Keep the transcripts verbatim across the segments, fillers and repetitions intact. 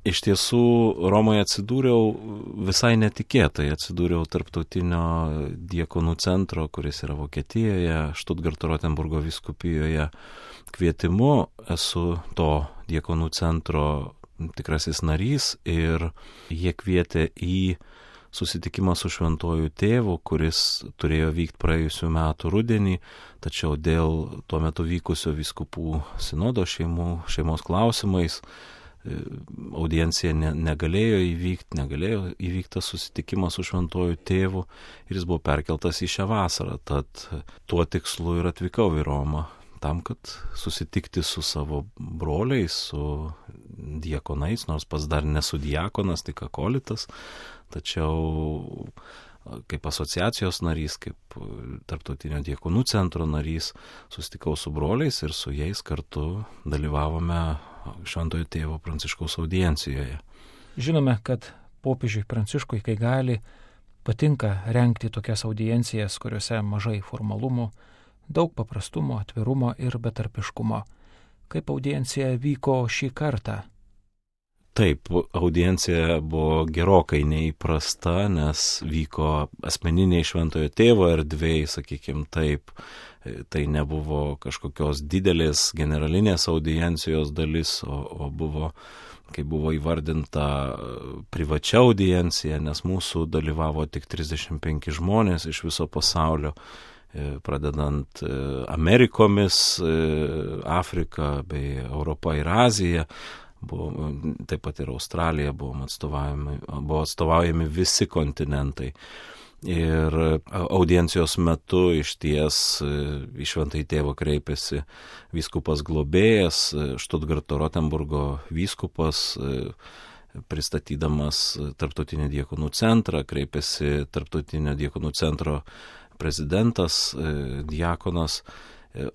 Iš tiesų, Romoje atsidūriau visai netikėtai, atsidūriau Tarptautinio diakonų centro, kuris yra Vokietijoje, Štutgarto Rotenburgo vyskupijoje kvietimu. Esu to diakonų centro tikrasis narys ir jie kvietė į susitikimą su šventuoju tėvu, kuris turėjo vykti praėjusių metų rudenį, tačiau dėl tuo metu vykusio vyskupų sinodo šeimų, šeimos klausimais audiencija ne, negalėjo įvykti, negalėjo įvykti susitikimas su šventuoju tėvu ir jis buvo perkeltas į šią vasarą. Tad tuo tikslu ir atvykau į Romą, tam, kad susitikti su savo broliais, su diakonais, nors pats dar nesu diakonas, tik akolitas, tačiau kaip asociacijos narys, kaip Tarptautinio diakonų centro narys, susitikau su broliais ir su jais kartu dalyvavome Šventojo tėvo Pranciškaus audiencijoje. Žinome, kad popiežiui Pranciškui, kai gali, patinka rengti tokias audiencijas, kuriuose mažai formalumų, daug paprastumo, atvirumo ir betarpiškumo. Kaip audiencija vyko šį kartą? Taip, audiencija buvo gerokai neįprasta, nes vyko asmeniniai šventojo tėvo erdvėj, sakykime taip. Tai nebuvo kažkokios didelės generalinės audiencijos dalis, o, o buvo, kaip buvo įvardinta, privačia audiencija, nes mūsų dalyvavo tik trisdešimt penki žmonės iš viso pasaulio, pradedant Amerikomis, Afrika bei Europa ir Azija. Buvo, taip pat ir Australija buvo atstovaujami, buvo atstovaujami visi kontinentai. Ir audiencijos metu iš ties į Šventąjį tėvą kreipėsi vyskupas globėjas, Štutgarto Rotenburgo vyskupas, pristatydamas Tarptautinį diakonų centrą, kreipėsi Tarptautinio diakonų centro prezidentas, diakonas,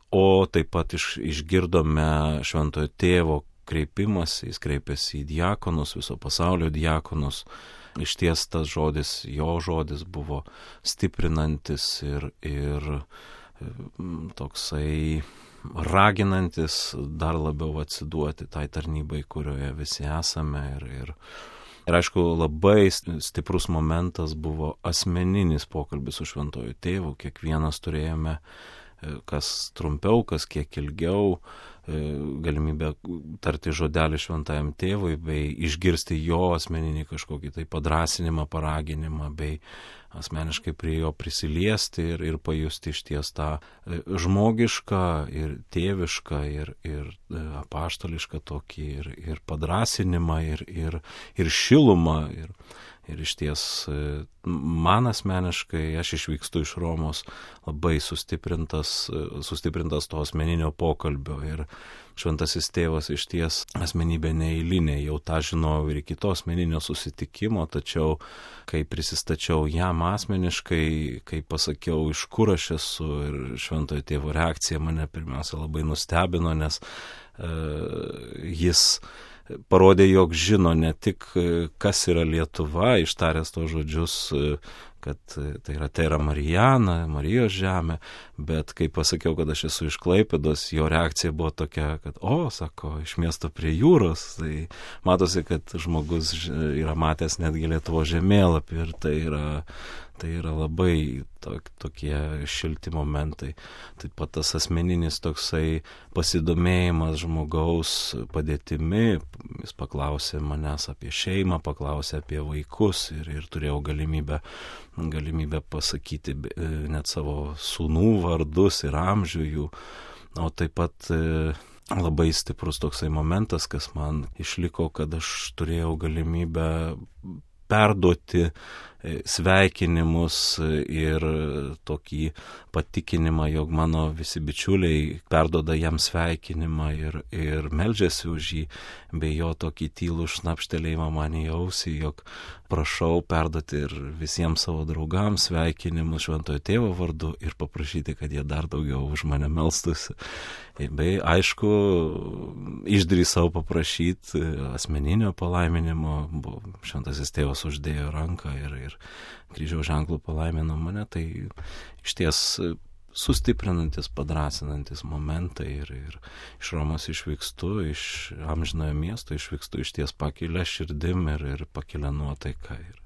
o taip pat iš, išgirdome Šventojo tėvo kreipimas, jis kreipėsi į diakonus, viso pasaulio diakonus. Iš ties tas žodis, jo žodis buvo stiprinantis ir, ir toksai raginantis dar labiau atsiduoti tai tarnybai, kurioje visi esame. Ir, ir, ir aišku, labai stiprus momentas buvo asmeninis pokalbis su šventuoju tėvu. Kiekvienas turėjome, kas trumpiau, kas kiek ilgiau, galimybę tarti žodelį šventajam tėvui, bei išgirsti jo asmeninį kažkokį tai padrasinimą, paraginimą, bei asmeniškai prie jo prisiliesti ir, ir pajusti iš ties tą žmogišką ir tėvišką ir, ir apaštališką tokį ir, ir padrasinimą ir, ir, ir šilumą. Ir, ir iš ties man asmeniškai, aš išvykstu iš Romos labai sustiprintas, sustiprintas to asmeninio pokalbio ir šventasis tėvas iš ties asmenybė neeilinė, jau tą žinojau ir iki to asmeninio susitikimo, tačiau kai prisistačiau jam asmeniškai, kai pasakiau, iš kur aš esu, ir šventojo tėvo reakcija mane pirmiausia labai nustebino, nes uh, jis parodė, jog žino ne tik, kas yra Lietuva, ištaręs tos žodžius, kad tai yra Terra Mariana, Marijos žemė, bet kai pasakiau, kad aš esu iš Klaipėdos, jo reakcija buvo tokia, kad, o, sako, iš miesto prie jūros, tai matosi, kad žmogus yra matęs netgi Lietuvos žemėlapį ir tai yra, tai yra labai tok, tokie šilti momentai. Taip pat tas asmeninis toksai pasidomėjimas žmogaus padėtimi, jis paklausė manęs apie šeimą, paklausė apie vaikus ir, ir turėjau galimybę, galimybę pasakyti net savo sūnų vardus ir amžių jų, o taip pat labai stiprus toksai momentas, kas man išliko, kad aš turėjau galimybę perduoti sveikinimus ir tokį patikinimą, jog mano visi bičiuliai perduoda jam sveikinimą ir, ir meldžiasi už jį, bei jo tokį tylų šnapštelėjimą man į ausį, jog prašau perduoti ir visiems savo draugams sveikinimus šventojo tėvo vardu ir paprašyti, kad jie dar daugiau už mane melstųsi. Bei aišku, išdrįsau paprašyti asmeninio palaiminimo, šventasis tėvas uždėjo ranką ir, ir kryžiaus ženklų palaimino mane, tai iš ties sustiprinantis, padrasinantis momentai ir, ir iš Romos išvykstu, iš amžinojo miesto išvykstu iš ties pakilę širdim ir, ir pakilę nuotaiką. Ir